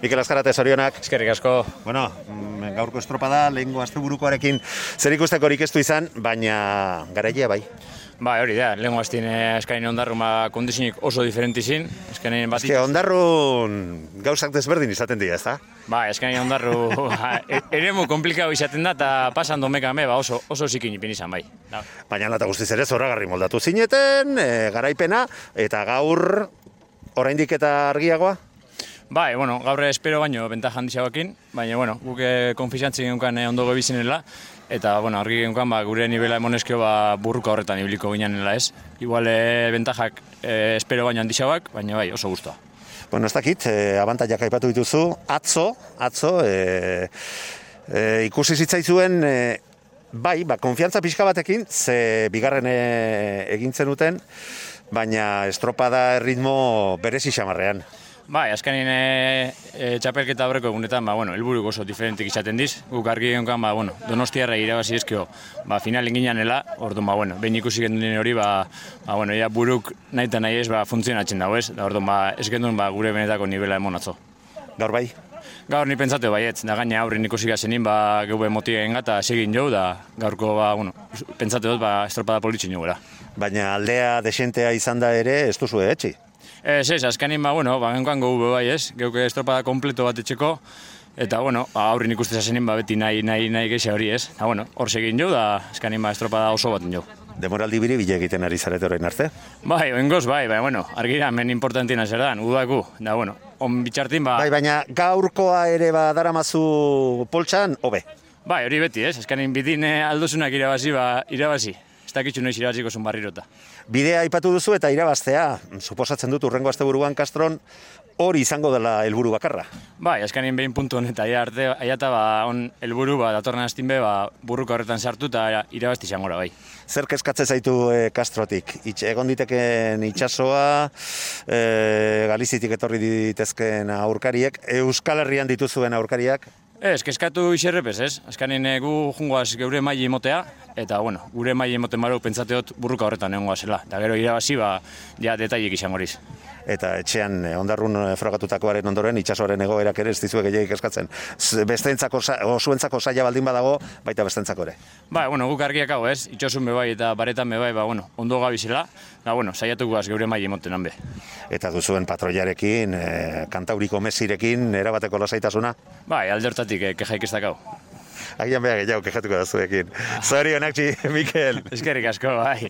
Mikel Azkarate, zorionak. Eskerrik asko. Bueno, gaurko estropada, lehengo asteburukoarekin zer ikustekorik ez du izan, baina garailea bai. Ba, hori da, lehengo aztien eskaini ondarrun kondizionik oso diferentizin. Eskaini bat ondarrun gauzak desberdin izaten dira, ez da? Ba, eskaini ondarru eremu komplikau izaten da, eta pasan domekame, oso zikin ipin izan bai. Baina lata guztiz ere zoragarri moldatu zineten, garaipena, eta gaur oraindik eta argiagoa? Bai, bueno, gaur espero baino bentaja handixagoekin, baina, bueno, guk konfizantzi genuen ondo gobizinela, eta, bueno, argi genuen gure nivela emonezkio burruka horretan ibiliko ginenela ez. Igual bentajak espero baino handixagoak, baina bai, oso guztua. Bueno, ez dakit, abantaiak aipatu dituzu, atzo, ikusi zitzaizuen, bai, konfiantza pixka batekin, ze bigarren egin zenuten, baina estropada ritmo berezi xamarrean. Bai, azkenin txapelketa horreko egunetan, helburuk oso diferentik izaten diz. Guk argi genuen, Donostiarra irabazi ezkio, finalen ginanela, orduan, behin ikusi genduen hori, ia buruk nahi eta nahi ez, funtzionatzen dago ez, orduan, ez genduen gure benetako nivela emon atzo. Gaur bai? Gaur ni pentsatu baietz, da gaina aurrin ikusi gazenin, geube motigen gata segin jau, da gaurko, pentsatu dut, estropada politzen jau gara. Baina aldea desentea izan da ere, ez duzu etxi? Ez, azkenin, genkoan gogu bai ez, geuke estropada kompleto bat etxeko, eta, aurrin ikuste zazenin, beti nahi geixa hori ez. Da, hor segin jo, da, azkenin, estropada oso baten jo. Demoraldi bile egiten ari zarete orain arte? Bai, oingoz, bai, argira, men importantina zer dan, udaku, da, on bitxartin, Bai, baina gaurkoa ere daramazu poltsan, hobe? Bai, hori beti ez, azkenin, bitin aldozunak irabazi. Ez dakitxu noiz irabaziko zun barrirota. Bidea aipatu duzu eta irabaztea, suposatzen dut urrengo asteburuan Castron hori izango dela helburu bakarra. Bai, azkenin behin puntu honet aiata on helburu datorren astin be burruka horretan sartu eta irabazti izangora bai. Zer kezkatzen zaitu Castrotik? Egon diteken itsasoa, Galizitik etorri ditezken aurkariek, Euskal Herrian dituzuen aurkariak? Ez, kezkatu iserrepez ez. Azkenin gu jungoaz geure maili emotea, eta gure maili emoten baruk pentsateot burruka horretan egongoa zela. Da gero irabazi, detailik izangoriz. Eta etxean ondarrun frogatutakoaren ondoren itsasoaren egoerak ere ez dizue gehiagik eskatzen. Besteentzako, zuentzako saia baldin badago, baita besteentzako ere. Bai, guk argiak hau ez, itxosun bebai eta baretan bebai, ondo gabizela, saiatuko geure maili emoten hanbe. Eta duzuen patroiarekin, kantauriko mesirekin, erabateko lasaitasuna? Bai, alde hortatik kejaik ez dakau. Agian beha gehiago kejatuko da zuekin. Zorionak, Mikel! Eskerrik asko, bai.